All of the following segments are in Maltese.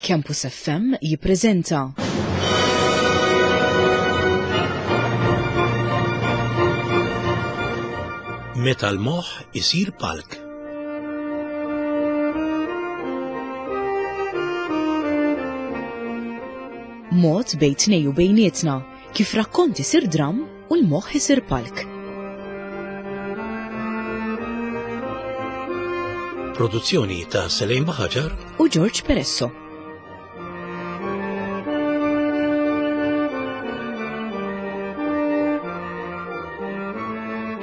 Campus FM jippreżenta. Meta l-moħħ isir palk. Mod bejn tnej u bejnietna kif rakkont isir dramm u l-moħħ isir palk. Produzzjoni ta' Selejn Baħaġar u George Peresso.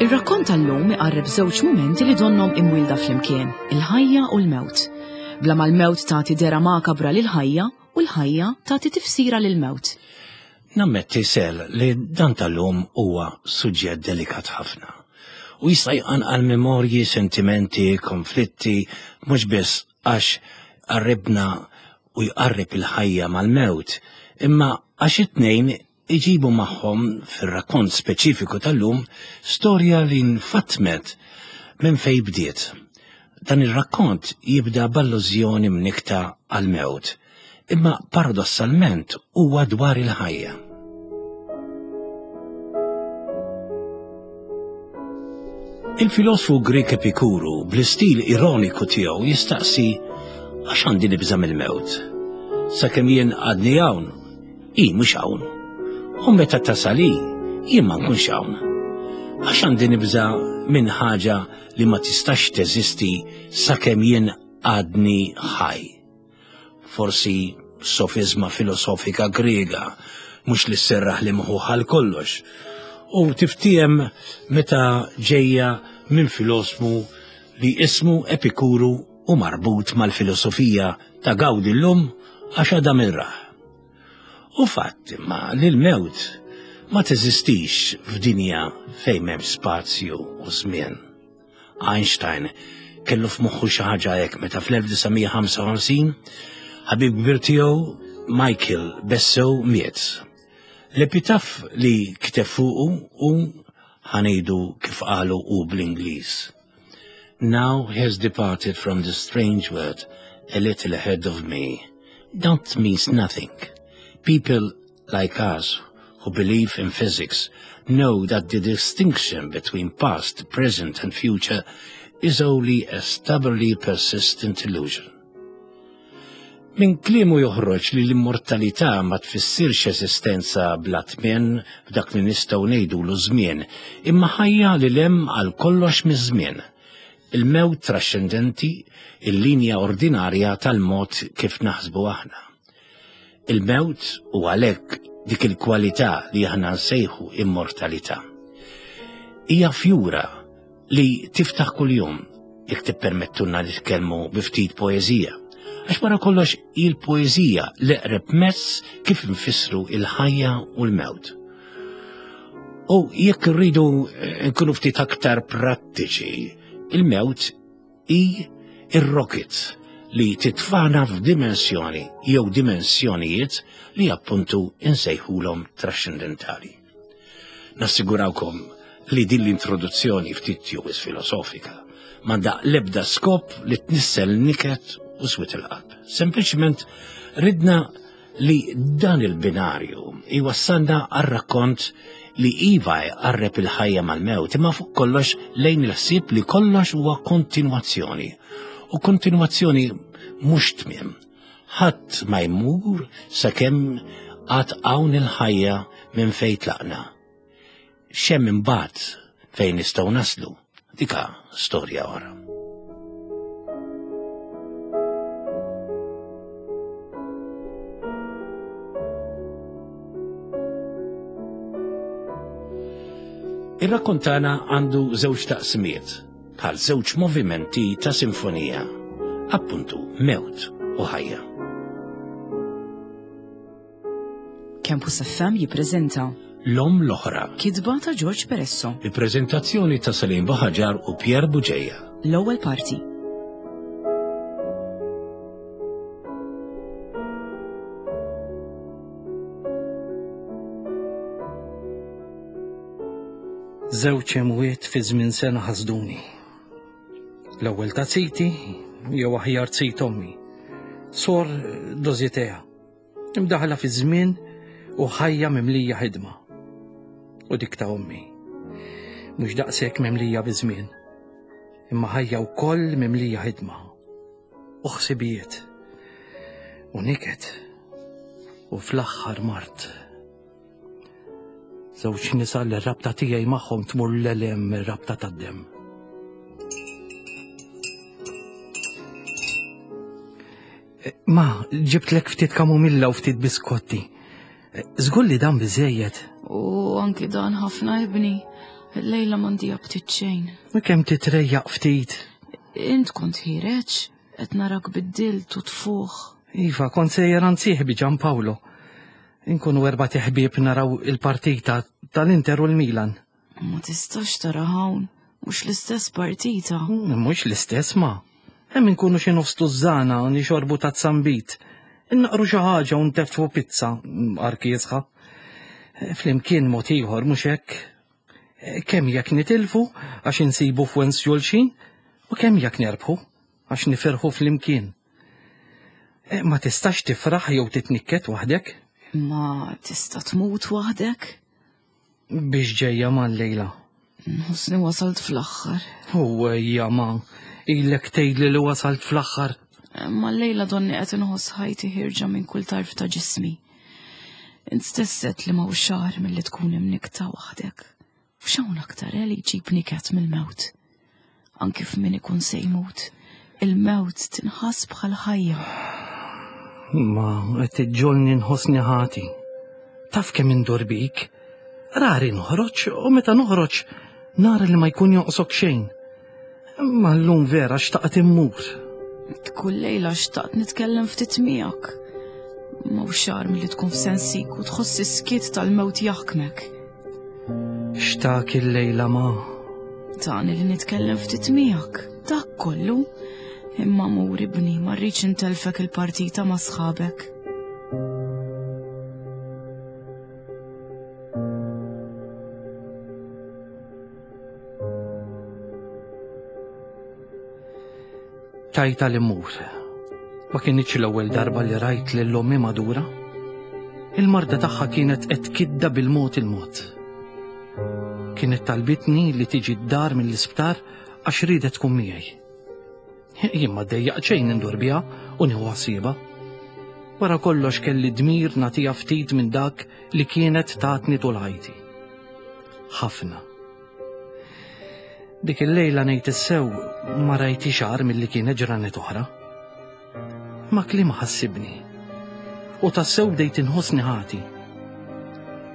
Ir-rakkont tal-lum iqarreb żewġ mumenti li donhom imwielda flimkien, il-ħajja u l-mewt. Bla ma l-mewt tagħti dehra makabra lill-ħajja u l-ħajja tagħti tifsira lill-mewt. Nammetti Sel li dan tal-lum huwa suġġett delikat ħafna u jista' jqanqal memorji, sentimenti, konflitti, mhux biss għax qarribna u jqarreb il-ħajja mal-mewt, imma għax it-tnejn iġibu magħhom fir-rakkont speċifiku tal-lum storja li nfatmet minn fejn bdiet. Dan ir-rakkont jibda b'allużjoni mnikkta għall-mewt, imma paradossalment huwa dwar il-ħajja. Il-filosfu Grek Epikuru bl-istil ironiku tiegħu jistaqsi għax għandi nibża' mill-mewt. Sakemm jien għadni hawn, hi mhux hawn. U meta tasal hi, jien ma nkunx hawn. Għax għandi nibża' minn ħaġa li ma tistax teżisti sakemm jien għadni ħaj. Forsi sofiżma filosofika Griega, mhux li sserraħ li mħuħ għal kollox, u tiftiehem meta ġejja minn filosfu li ismu Epikuru u marbut mal-filosofija ta' gawdi llum għax għada min rah. U fatt imma li l-mewt ma teżistix f'dinja fejn m'hemmx spazju u żmien. Einstein kellu f'moħħu xi ħaġa hekk meta fl-1955 ħabib kbir tiegħu Michael Bessew miet. L-epitaf li kiteb fuqu u ħanejdu kif qalu u bl-Ingliż. Now he has departed from the strange world a little ahead of me. That means nothing. People like us who believe in physics know that the distinction between past, present and future is only a stubbornly persistent illusion. Minn kliemu joħroġ li l-immortalità ma tfissirx eżistenza bla tmien f'dak li nistgħu ngħidulu żmien, imma ħajja li 'l hemm għal kollox miż-żmien. Il-mewt traxxendenti, il-linja ordinarja tal-mod kif naħsbu aħna. Il-mewt u għalhekk dik il-kwalità li aħna nsejħu immortalità. Hija fjura li tiftaħ kuljum jekk tippermettulna nitkellmu bi ftit poeżija. Għax wara kollox il-poeżija l-eqreb mezz kif nfissru il-ħajja u l-mewt. U jekk irridu eh, nkunu ftit aktar prattiċi, il-mewt hi ir-rocket li titfana f'dimensjoni jew dimensjonijiet li appuntu insejħulhom trascendentali. Nassigurawkom li din l-introduzzjoni ftit jew filosofika m'għandha l-ebda skop li tnissel niket u swit il-qalb. Sempliċement ridna li dan il-binarju iwassalna għar-rakkont li iva jqarreb il-ħajja mal-mewt imma fuq kollox lejn il-ħsieb li kollox huwa kontinwazzjoni. U kontinwazzjoni mhux tmiem. Ħadd ma jmur sakemm għad hawn il-ħajja minn fejn tlaqna. X'hemm imbagħad fejn nistgħu naslu, dika storja oħra. Ir-rakkont tagħna għandu żewġ taqsimiet, bħal żewġ movimenti ta' sinfonija, appuntu mewt u ħajja. Campus FM jippreżenta L-Omm l-Oħra. Kitba ta' George Peresso. Il-preżentazzjoni ta' Salim Buhaġar u Pierre Bugeja. L-ewwel parti. Żewġ imwiet fi żmien sena ħasduni. L-ewwel ta' ziti, jew aħjar zit ommi. Sor Dozitea, imdaħla fi żmien u ħajja mimlija ħidma. U dik ta' ommi. Mhux daqshekk mimlija biż-żmien, imma ħajja wkoll mimlija ħidma u ħsibijiet u niket u fl-aħħar mart. Żewġ nisa li r-rabta tiegħi magħhom tmur l-elem mir-rabta tad-demm. Eh, ma, ġibtlek ftit kamomilla u ftit biskotti. Eh, żgur li dan biżejjed. U anki dan ħafna ibni. Lejla m'għandi aptit xejn. Ma kemm titrejjaq ftit. Int kont ħireġ, qed narak biddilt u tfuħ. Iva, kont sejjer għand sieħbi Gian Paolo. Inkunu erba' teħbieb naraw il-partita tal-Inter u l-Milan. Ma tistax tara hawn, mhux l-istess partita. Mm, mhux l-istess ma. Hemm inkunu xi nofs tużżana u nixorbu ta' zambit. Innaqru xi ħaġa u nteffu pizza mm, arkiesħa. Flimkien mod ieħor mhux hekk. Kemm jekk nitilfu għax insibu f'wens xulxin u kemm jekk nerbħu għax nifirħu flimkien. Eh, ma tistax tifraħ jew titnikket waħdek? Ma tista' tmut waħdek? Biex ġejja ma lejla. Nħossni wasalt fl-aħħar. U ejja ma, ilek tgħidli li wasalt fl-aħħar. Eh, ma lejla donni qed inħoss ħajti ħirġa minn kull tarf ta' ġismi. Int stess li ma xahar milli tkun imnikta waħdek. F'xawn aktar eh, li jġib niket mill-mewt. Anki f'min ikun se jmut, il-mewt tinħass bħal ħajja. Ma qed iġġolni nħossni ħati. Taf kemm indur bik. Rari noħroġ u meta noħroġ nara li ma jkun jonqsok xejn. Ma llum vera xtaqt immur. Kull lejla xtaqt nitkellem ftit miegħek. Ma u xar milli tkun f'sensik u tħoss is-skiet tal-mewt jaħkmek. Xtaq il-lejla ma. Tani li nitkellem ftit miegħek, dak kollu. Imma mur ibni, ma rridx intelfek il-partita ma' sħabek. Tajta li mur. Ma kinitx l-ewwel darba li rajt lil ommi madura. Il-marda tagħha kienet qed tkidda bil-mod il-mod. Kienet talbitni li tiġi d-dar mill-isptar għax riedet tkun miegħi. Jien ma ddejjaq xejn indur biha u nieħu ħsiebha. Wara kollox kelli dmir nagħtiha ftit minn dak li kienet tatni tul ħajti. Ħafna. Dik il-lejla ngħid is-sew ma rajtix agħar milli kienet ġranet oħra. Ma kliem ħassibni. U tassew bdejt inħossni ħati.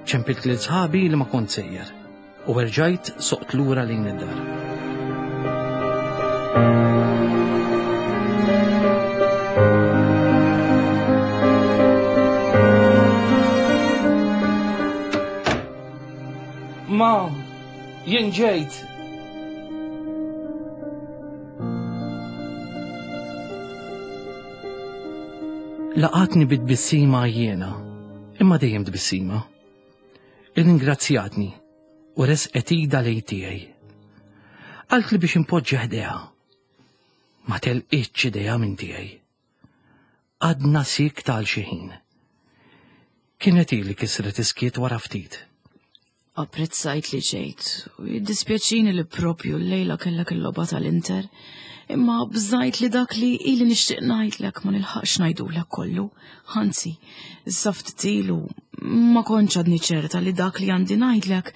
Ċempilt lil sħabi li ma kont sejjer u erġajt soqt lura lejn id-dar. Ma, jien ġejt. Laqatni bit-tbissima jiena, imma dejjem tbissima. Irringrazzjatni u resqet idha lejn tiegħi. Qaltli biex inpoġġi ħdejha. Ma telqitx idejha minn tiegħi. Għadna siekta għal xi ħin. Kienet hi li kisret is-skiet wara ftit. Apprezzajt li ġejt u jiddispjaċini li propju l-lejla kellek il-logħba tal-Inter, imma bżajt li dak li ili nixtieq ngħidlek ma nilħaqx ngħidulek kollu. Anzi, issa ftit ilu ma kontx għadni ċerta li dak li għandi ngħidlek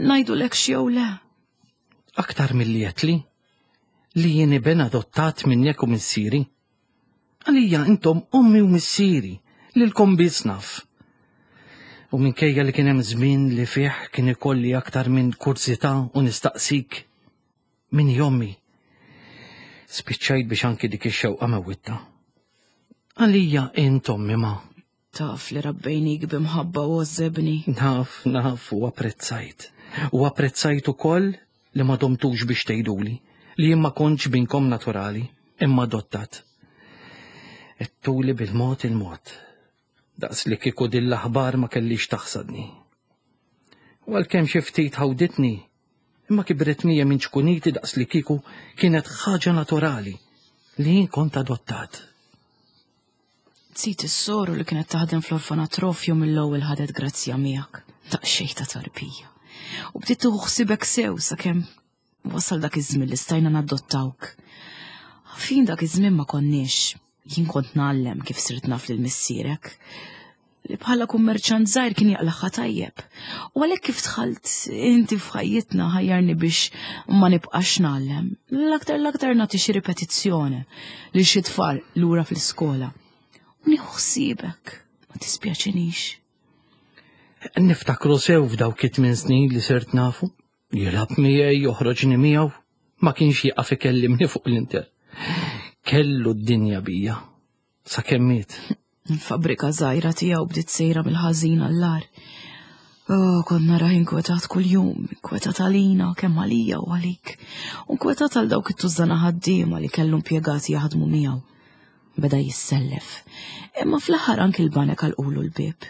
ngħidulek x'jew le. Aktar milli għedtli li jien iben adottat minnek u missieri. Għalija intom ommi u missieri, lilkom biss naf. U minkejja li kien hemm żmien li fih kien ikolli aktar minn kurżità u nistaqsik min hi ommi. Spiċċajt biex anki dik ix-xewqa mewwitta. Għalija int ommi ma. Taf li rabbejnik b'imħabba u għożżebni. Naf, naf u apprezzajt. U apprezzajt ukoll li ma domtux biex tgħiduli li jien ma kontx binkom naturali, imma adottat. Għedtuli bil-mod il-mod, daqs li kieku din l-aħbar ma kellix taħsadni. U għalkemm xi ftit ħawditni, imma kibret mija minn ċkuniti daqs li kieku kienet ħaġa naturali li jien kont adottat. Zit is-soru li kienet taħdem fl-orfanatrofju mill-ewwel ħadet grazzja miegħek, daqsxejn ta' tarbija. U bdiet tieħu ħsibek sew sakemm wasal dak iż-żmien li stajna nadottawk. Fin dak iż-żmien ma konniex. Jien kont ngħallem kif sirt naf lil missierek li bħala kummerċant żgħir kien jaqlaħħa tajjeb. U għalhekk kif dħalt inti f'ħajjitna ħajjarni biex ma nibqax ngħallem. L-aktar l-aktar nagħti xi ripetizzjoni lil xi tfal lura fl-iskola. U nieħu ħsiebek, ma tispjaċinix. Niftakru sew f'dawk it-tmien snin li sirt nafu. Jilgħab miegħi, joħroġni miegħu, ma kienx jieqaf ikellimni fuq l-Inter. Kellu d-dinja bija. Sakemm miet. Il-fabbrika żgħira tiegħu bdiet sejra mill-ħażin għall-agħar. Oh, kont narah inkwetat kuljum, inkwetat għalina, kemm għalija u għalik. U nkwetat għal dawk it-tużżana ħaddiema li kellu impjegati jaħdmu miegħu. Beda jissellef. Imma fl-aħħar anki l-banek għalqulu l-bieb.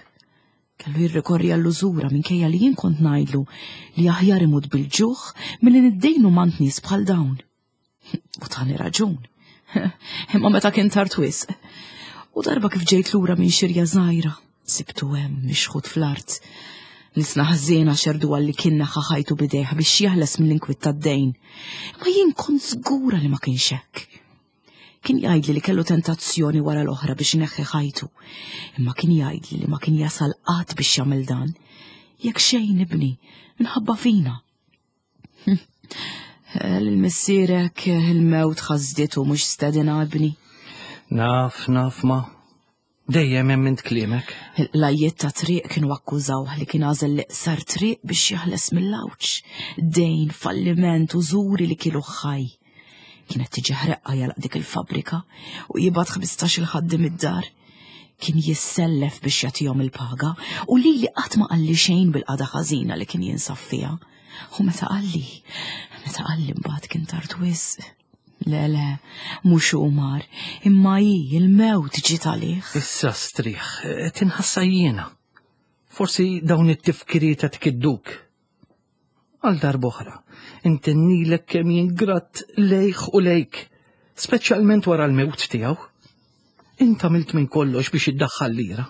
Kellu jirrikorri għall-użura minkejja li jien kont ngħidlu li aħjar imut bil-ġuħ milli niddejnu m'għand nies bħal dawn. U tani raġun. Imma meta kien tard wisq. U darba kif ġejt lura minn xirja żgħira, sibtu hemm mixħut fl-art. Nisna ħżiena xerdu għalli kien neħħa ħajtu bidejh biex jeħles mill-inkwiet tad-dejn. Imma jien kont żgura li ma kienx hekk. Kien jgħidli li kellu tentazzjoni wara l-oħra biex ineħħi ħajtu, imma kien jgħidli li ma kien jasal qatt biex jagħmel dan. Jekk xejn ibni, minħabba fina. Lil missierek il-mewt ħasditu mhux stedina ibni. Naf, naf ma. Dejjem hemm int kliemek. Il-qlajjiet ta' triq kienu akkużawh li kien għażel l-iqsar triq biex jeħles mill-għawġ. Dejn, falliment, użuri li kielu ħaj. Kienet tiġi ħreqqa jalaq dik il-fabbrika u jibgħat 15 il-ħaddim id-dar. Kien jissellef biex jagħtihom il-paga u lili qatt ma qalli xejn bil-qagħda ħażina li kien jinsab fiha. U meta qalli, meta qalli mbagħad kien tard wisq. Le, le, mhux hu mar, imma hi il-mewt ġiet għalih. Issa strieħ, tinħassa jiena. Forsi dawn it-tifkiriet qed ikidduk. Għal darb'oħra, intennilek kemm jien grat lejh u lejk, speċjalment wara l-mewt tiegħu. Int għamilt minn kollox biex iddaħħal lira.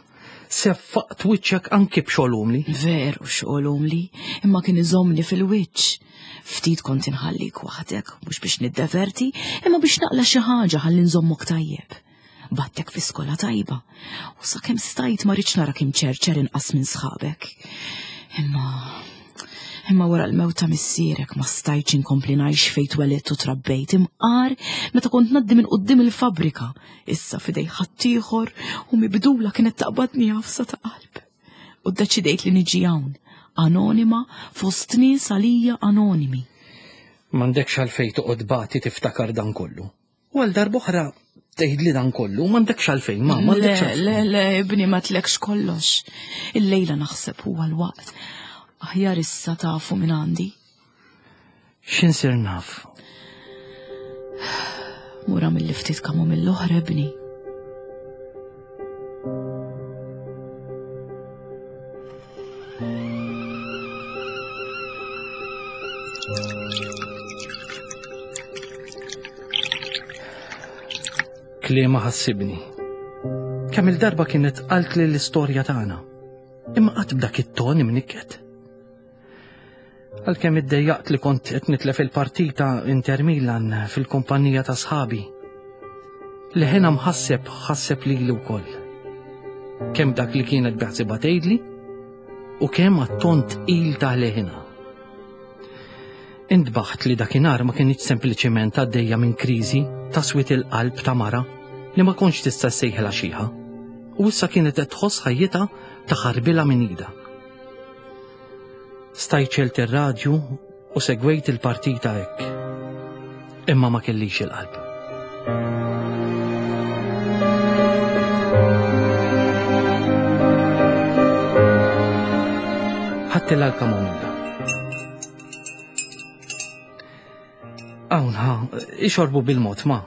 Seffaqt wiċċek anki b'xogħol umli. Veru xogħol umli, imma kien iżommni fil-wiċċ. Ftit kont inħallik waħdek, mhux biex niddeverti, imma biex naqla xi ħaġa ħalli nżommok tajjeb. Battek fi skola tajba, u sakemm stajt ma rridx narak imċerċer inqas minn sħabek. Imma Imma wara l-mewt ta' missierek ma stajtx inkompli ngħix fejn twelidt u trabbejt imqar meta kont ngħaddi minn quddiem il-fabbrika, issa f'idej ħaddieħor u mibdula kienet taqbadni għafsa ta' qalb. U ddeċidejt li niġi hawn, anonima fost nies għalija anonimi. M'għandekx għalfejn toqgħod bati tiftakar dan kollu. U għal darb'oħra tgħidli dan kollu, m'għandekx għalfejn, ma m'għandekx għalfejn. Le, le, ibni ma tlekx kollox. Illejla naħseb huwa l-waqt. Aħjar issa tafu minn għandi. X'insir naf? Mura mill ftit kamu mill-oħra, ibni. Kliema ħassibni. Kemm il-darba kienet qalt li l-istorja tagħna. Imma qatt b'dak it-ton imnikket. Għalkemm iddejjaqt li kont qed nitlef il-partita Inter Milan fil-kumpanija ta' sħabi. Leħena mħasseb ħasseb lili wkoll. Kemm dak li kienet beħsiba tgħidli u kemm għat-ton tqil ta' leħina. Intbaħt li dakinhar ma kinitx sempliċement għaddejja minn kriżi ta' swied il-qalb ta' mara li ma kontx tista' ssejħilha xiħa, u issa kienet qed tħoss ħajjitha taħarbilha minn idha. Stajt xelt ir-radju u segwejt il-partita hekk. Imma ma kellix il-qalb. Ħadtilha l-kamomilla. Hawn ħa, ixorbu bil-mod ma.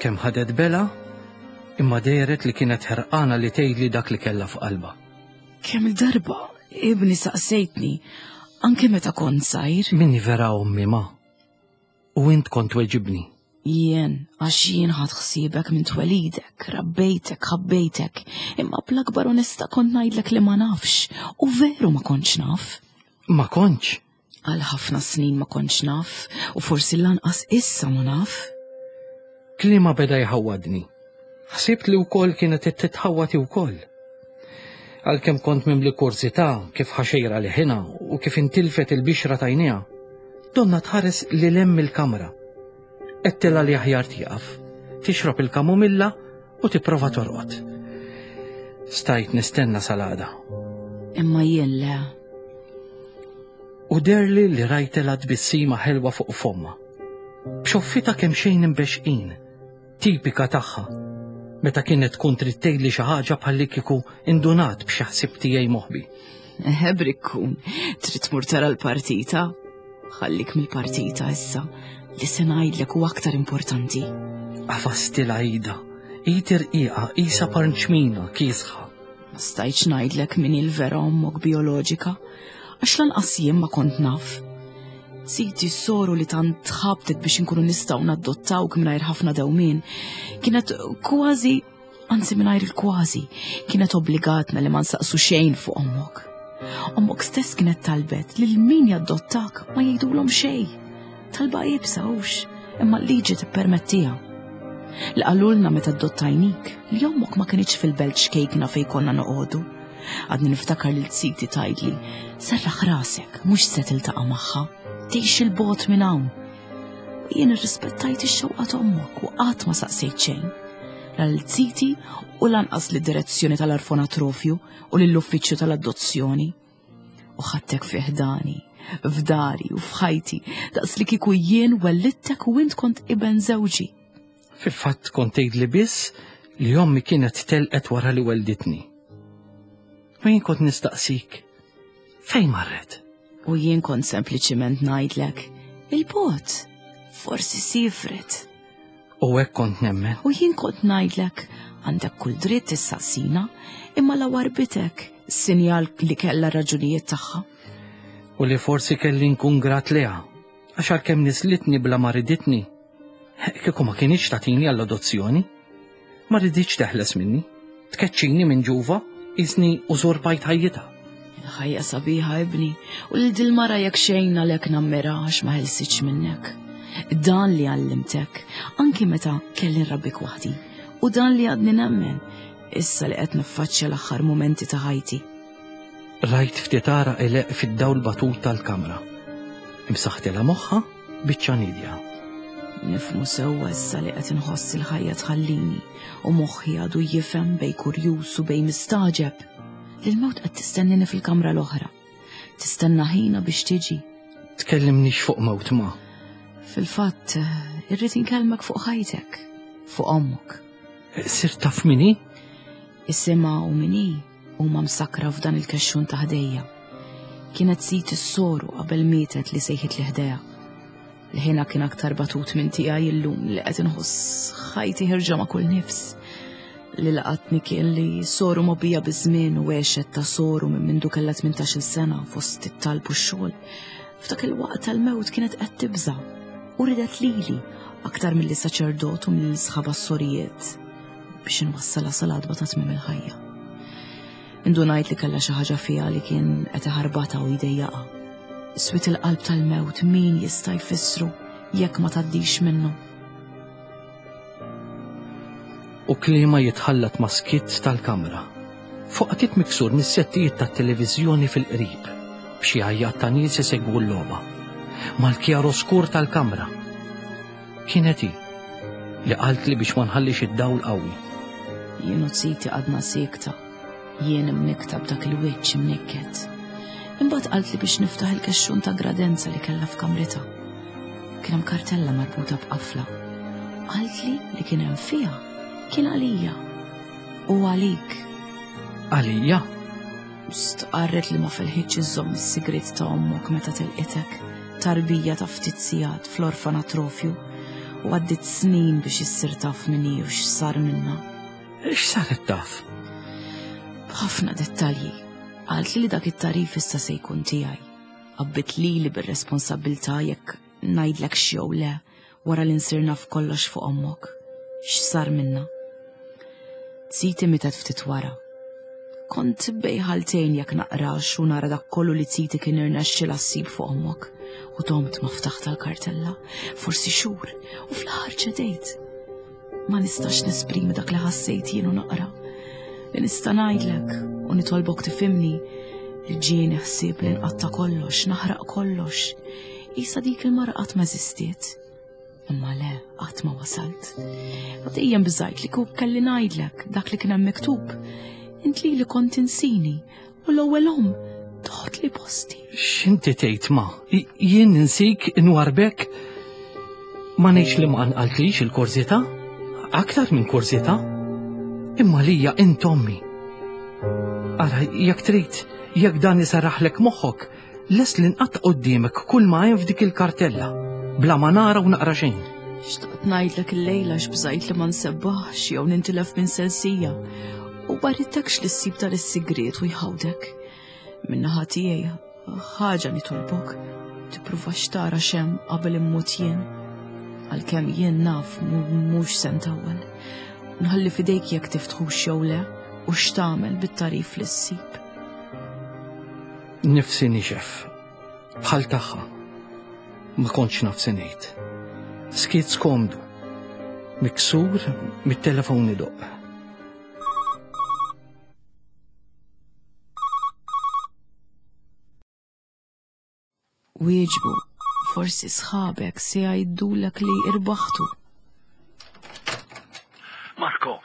Kemm ħadet bela, imma dehret li kienet ħerqana li tgħidli dak li kellha f'qalbha. Kemm il-darba, ibni saqsejtni, anke meta kont żgħir. Minni vera ommi ma. U int kont weġibni. Jien, għax jien ħadt ħsiebek minn twelidek, rabbejtek, ħabbejtek, imma bl-akbar onesta kont ngħidlek li ma nafx, u veru ma kontx naf. Ma kontx? Għal ħafna snin ma kontx naf, u forsi lanqas issa ma naf. Kliema beda jħawwadni. Ħsibt li wkoll kienet qed titħawwad hi wkoll. Għalkemm kont mimli kurżità kif ħaxejra leħinha u kif intilfet il-bixra t'għajnejha, donna tħares lil hemm mill-kamra. Għedtilha li aħjar tieqaf, tixrob il-kamomilla u tipprova torqod. Stajt nistenna sal-għada. Imma jien le. U derli li rajtilha tbissima ħelwa fuq fommha. B'xoffitha kemxejn imbexxqin. Tipika tagħha, meta kienet tkun trid tgħidli xi ħaġa bħallikieku indunat b'xi ħsieb tiegħi moħbi. Eħe brikkun, trid tmur tara l-partita? Ħallik mill-partita issa, li se ngħidlek hu aktar importanti. Għafastilha idha, id irqiqa qisha parnċmina kiesħa. Ma stajtx ngħidlek min hi l-vera ommok bijoloġika, għax lanqas jien ma kont naf. Siti s-soru li tant tħabtet biex inkunu nistgħu naddottawk mingħajr ħafna dewmien, kienet kważi, anzi mingħajr il-kważi, kienet obbligatna li ma nsaqsu xejn fuq ommok. Ommok stess kienet talbet li min jaddottak ma jgħidulhom xejn. Talba iebsa hux, imma l-liġi tippermettiha. Li qalulna meta addottajnik li ommok ma kinitx fil-belt xkejkna fejn konna noqogħdu. Għadni niftakar lil ziti tgħidli, serraħ rasek, mhux se tiltaqa' magħha, tgħix il-bogħod minn hawn. U jien irrispettajt ix-xewqa t'ommok u qatt ma saqsejt xejn. La lil ziti u lanqas lid-direzzjoni tal-orfanatrofju u lill-uffiċċju tal-adozzjoni. U ħadtek fi ħdani, f'dari u f'ħajti, daqs li kieku jien wellidtek u int kont iben żewġi. Fil-fatt kont tgħidli biss li ommi kienet telqet wara li welditni. U jien kont nistaqsik, fejn marret? U jien kont sempliċiment ngħidlek, il-bot, forsi sifret. U hekk kont nemmen. U jien kont ngħidlek, għandek kull dritt tissaqsina, imma la warbitek, sinjal li kellha raġunijiet tagħha. U li forsi kelli nkun grat liha, għax għalkemm nislitni bla ma riditni, kieku ma kinitx tagħtini għall-adozzjoni, ma riditx teħles minni, tkeċċini minn ġuva, qisni użurpajt ħajjitha. Il-ħajja sabiħa ibni, u lil dil-mara jekk xejn għalhekk nammira għax ma ħelsitx minnek. Dan li għallimtek, anki meta kelli nrabbik waħdi, u dan li għadni nemmen, issa li qed niffaċċja l-aħħar mumenti ta' ħajti. Rajt ftit għaraq ileqq fid-dawl batut tal-kamra. Imsaħtilha moħħha biċċa nidja. Nifhmu sewwa issa li qed inħoss il-ħajja tħallini u moħħi għadu jifhem bej kurjuż u bej mistagħġeb li l-mewt qed tistennini fil-kamra l-oħra. Tistenna ħina biex tiġi. Tkellimnix fuq mewt ma. Fil-fatt, irrid inkellmek fuq ħajtek, fuq ommok. Sirt taf min hi? Isimha u min hi huma msakkra f'dan il-kexxun ta' ħdejja. Kienet sit is-soru qabel mietet li sejħit li ħdejha. L-ħina kien aktar batut minn tiegħi illum li qed inħoss ħajti ħirġa ma' kull nifs. Li laqatni kien li soru mobija biż-żmien u għexet ta' soru minn mindu kellha 18-il sena fost it-talb u x-xogħol. F'dak il-waqt tal-mewt kienet qed tibża' u ridet lili aktar milli saċerdot u mill sħaba s-sorijiet biex inwassalha sal-għadba ta' tmiem il-ħajja. Indunajt li kellha xi ħaġa fiha li kien qed iħarbatha u jdejjaqha. Swit il-qalb tal-mewt min jista' jfissru jekk ma tgħaddix minnu. U kliema jitħallat ma' skitt tal-kamra. Fuq miksur mis-settijiet tat-televiżjoni fil-qrib, b'xi għajjat ta' nies isegwu l-logħba. Mal-kjaroskur tal-kamra. Kienet hi li qaltli biex ma nħallix id-dawl qawwi. Jien u ziti għadna siekta. Jien imnikkta b'dak il-wiċċ imnikket. Imbagħad qaltli biex niftaħ il-kexxun ta' gradenza li kellha f'kamritha. Kien hemm kartella marbuta b'qafla. Qaltli li kien hemm fiha kien għalija u għalik. Għalija? Stqarret li ma felħitx iżżomm is-sigriet ta' ommok meta telqitek, tarbija ta' ftit sigħat fl-orfanatrofju, u għaddiet snin biex issir taf min hi u x'sar minnha. X'saret taf? B'ħafna dettalji. Qaltli li dak it-tagħrif issa se jkun tiegħi. Għabbit lili bir-responsabbiltà jekk ngħidlek x'jew le. wara li nsir naf kollox fuq ommok. X'sar minna? Ziti mietet ftit wara. Kont bej ħaltejn jekk naqrax u nara dak kollu li ziti kien irnexxilha ssib fuq ommok u domt ma ftaħt tal-kartella, forsi xhur, u fl-aħħar ċedejt. Ma nistax nesprimi dak li ħassejt jien u naqra. Li nista' ngħidlek u nitolbok tifhimni li ġieni ħsieb li nqatta' kollox, naħraq kollox. Isa dik il-mara qatt ma eżistiet. Imma le, qatt ma wasalt. U dejjem bżajt li kuk kelli ngħidlek dak li kien hemm miktub. Int li li kont insini u l-ewwel om toħod li posti. X'inti tgħid ma? Jien insik inwarbek ma ngħidx li ma qanqaltlix il-kurżità? Aktar minn kurżità? Imma lija int ommi. Ara, jekk trid, jekk dan isarraħlek moħħok, Lest li nqatta' quddiemek kull ma hemm f'dik il-kartella, bla ma nara u naqra xejn. Xtaqt ngħidlek illejla x'bżajt li ma nsebbaħx jew nintilef minn sensija u ma ridtekx li ssib dan is-sigriet u jħawdek. Min-naħa tiegħi ħaġa nitolbok, tippruvax tara x'hemm qabel immut jien. Għalkemm jien naf mhux se ntawwal. Nħalli f'idejk jekk tiftħux jew le u x'tagħmel bit-tagħrif li ssib. Nifsi nixef, bħal tagħha. Ma kontx naf se ngħid. Skiet skomdu, miksur mit-telefon idoqq. Wieġbu, forsi sħabek se jgħidulek li irbaħtu. Marko,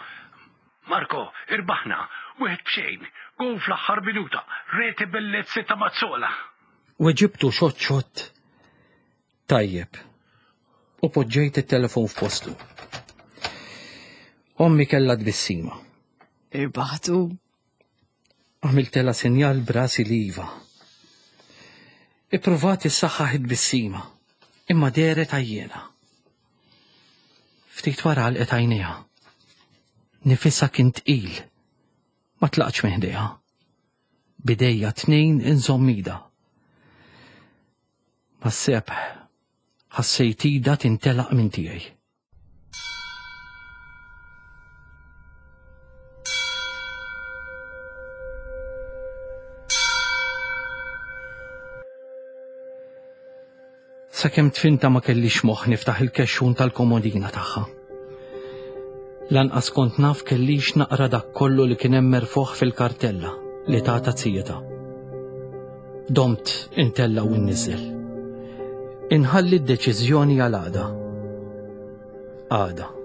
Marko, irbaħna, wieħed b'xejn, gowl fl-aħħar minuta, reti bellezzi ta' Mazzola. Weġibtu xott xott. Tajjeb. U poġġejt it-telefon f'postu. Ommi kellha tbissima. Irbaħtu. Għamiltelha sinjal b'rasi li iva. Ippruvat issaħħaħ it-tbissima, imma dehret għajjiena. Ftit wara għalqet għajnejha. Nifisha kien tqil. Ma tlaqtx minn ħdejha. Bidejja tnejn inżomm idha. Mas-sebħ ħassejt idha tintelaq minn tiegħi. Sakemm tfinta ma kellix moħħ niftaħ il-kexxun tal-komodina tagħha. Lanqas kont naf kellix naqra dak kollu li kien hemm merfugħ fil-kartella li tata zijeta. Domt intella' u nniżżel. Inħalli d-deċiżjoni għal għada. Għada.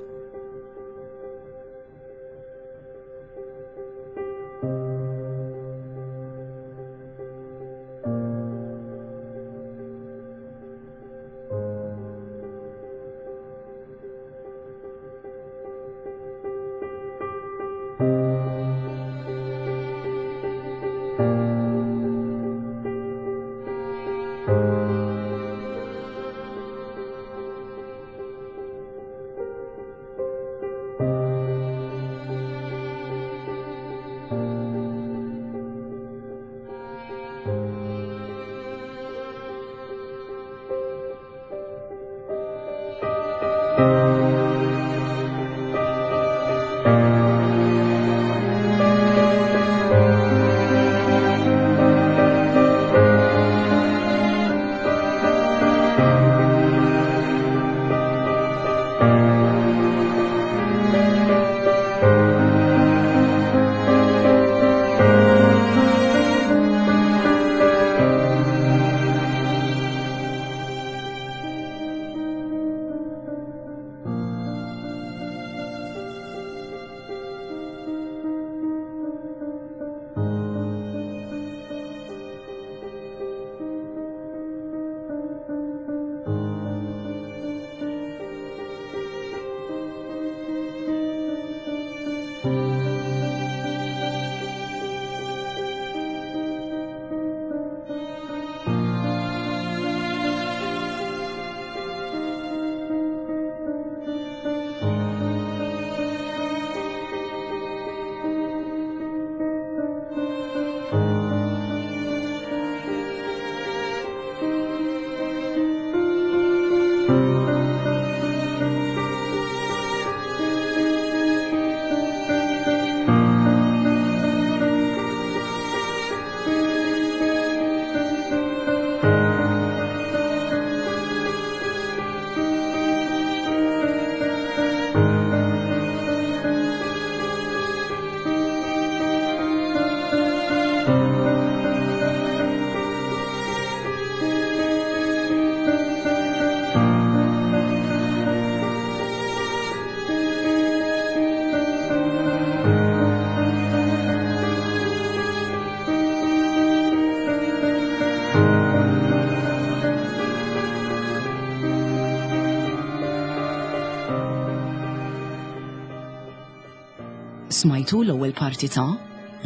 Smajtu l-ewwel parti ta'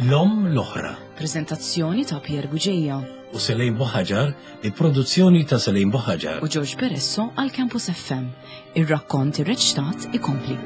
L-Omm l-Oħra. Preżentazzjoni ta' Pierre Bugeja. U Selejn Buħaġar bi produzzjoni ta' Selejn Buħaġar. U George Peresso għal Campus FM. Ir-rakkont irreċtat ikompli.